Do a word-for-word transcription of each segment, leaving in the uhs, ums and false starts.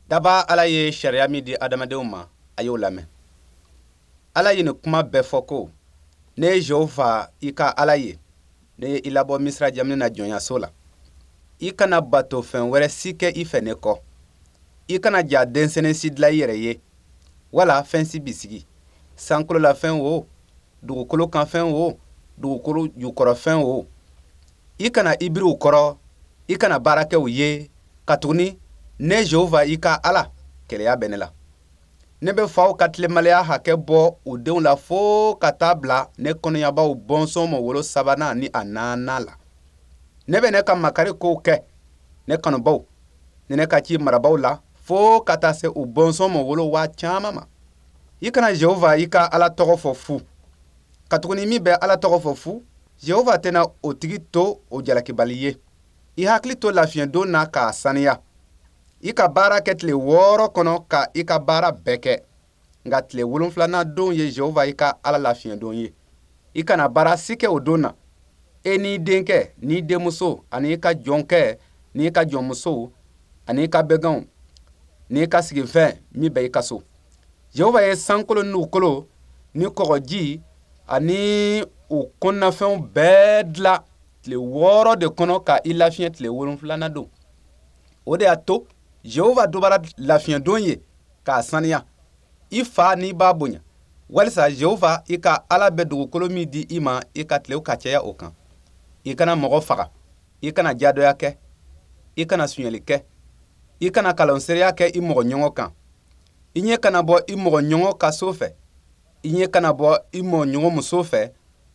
Daba Ala ye sariya min di adamadenw ma, a y'o lamɛn. Ala ye nin kuma bɛɛ fɔ ko: ne ye Jehova i ka Ala ye, ne ye i labɔ Misira jamana na jɔnyaso la. I kana bato fɛn wɛrɛ si kɛ i fɛ ne kɔ. I kana ja denmisɛnnin si dilan i yɛrɛ ye, wala fɛn si bisigi. Sankolo la fɛn o, dugukolo kan fɛn o, dugukolo jukɔrɔ fɛn o. I kana i biri u kɔrɔ, i kana baara kɛ u ye, katuguni ne Jehova i ka Ala, keleya bɛ ne la. Ne bɛ faw ka tilenbaliya hakɛ bɔ u denw la fo ka taa bila ne kɔnɔyabaw bɔnsɔn ma wolo sabanan ni a naaninan la. Ne bɛ ne ka makari kow kɛ ne kanubaw ni ne ka ci marabaw la fo ka taa se u bɔnsɔn ma wolo waa caman ma. I kana Jehova i ka Ala tɔgɔ fɔ fu, katuguni min bɛ Ala tɔgɔ fɔ fu, Jehova tɛna o tigi to o jalakibali ye. I hakili to lafiɲɛdon na k'a saniya. I ka baara kɛ tile wɔɔrɔ kɔnɔ ka i ka baara bɛɛ kɛ, nka tile wolonfilanan don ye Jehova i ka Ala lafiɲɛdon ye. I kana baara si kɛ o don na, e n'i denkɛ n'i denmuso ani i ka jɔnkɛ n'i ka jɔnmuso ani i ka bɛganw n'i ka sigifɛn min bɛ i ka so. Jehova ye sankolo ni dugukolo ni kɔgɔji ani u kɔnɔnafɛnw bɛɛ dilan tile wɔɔrɔ de kɔnɔ ka i lafiɲɛ tile wolonfilanan don. O de y'a to Jehova dubara lafiɲɛdon ye k'a saniya. I fa n'i b'a bonya, walisa Jehova i ka Ala bɛ dugukolo min di i ma, i ka tilew ka caya o kan. I kana mɔgɔ faga, i kana jadɔya kɛ, i kana sonyɛli kɛ, i kana kalanseereya kɛ i mɔgɔ ɲɔgɔn kan. I ɲɛ kana bɔ i mɔgɔ ɲɔgɔn ka so fɛ, i ɲɛ kana bɔ i mɔgɔ ɲɔgɔn muso fɛ,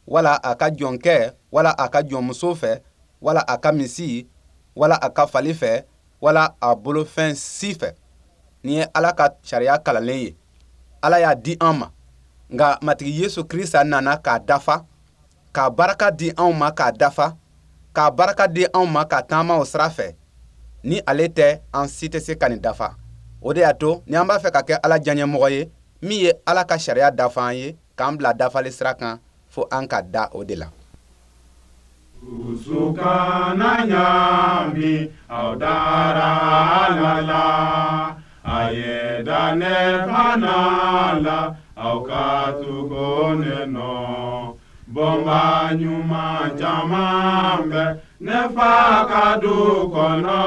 wala a ka jɔnkɛ, wala a ka jɔnmuso fɛ, wala a ka misi, wala a ka fali fɛ, wala a bolofɛn si fɛ. Nin ye Ala ka sariya kalanlen ye. Ala y'a di an ma, nka Matigi Yesu Krista nana k'a dafa, k'a baraka di anw ma k'a dafa, k'a baraka di anw ma ka taama o sira fɛ. Ni ale tɛ, an si tɛ se ka nin dafa. O de y'a to ni an b'a fɛ ka kɛ Ala diyaɲɛmɔgɔ ye, min ye Ala ka sariya dafa an ye, k'an bila dafali sira kan, fo an ka da o de la. Dusu kana ɲaami, aw dara Ala la, a ye da ne fana la, aw ka tugu ne nɔ. Bɔnba ɲuman caman bɛ ne fa ka du kɔnɔ,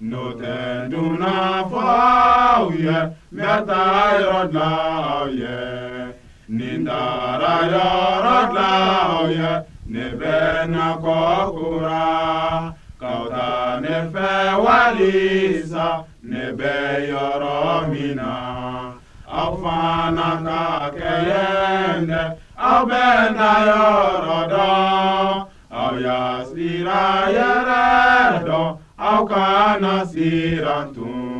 n'o tɛ dunan fɔ aw ye, n bɛ taa yɔrɔ dilan aw ye. Ni n taara yɔrɔ dilan aw ye, ne bɛ na kɔ kura, k'aw ta ne fɛ walisa ne bɛ yɔrɔ min na. Aw fana ka kɛ yen dɛ, aw bɛ na yɔrɔ dɔn. Aw y'a sira yɛrɛ dɔn, aw kana siran tun.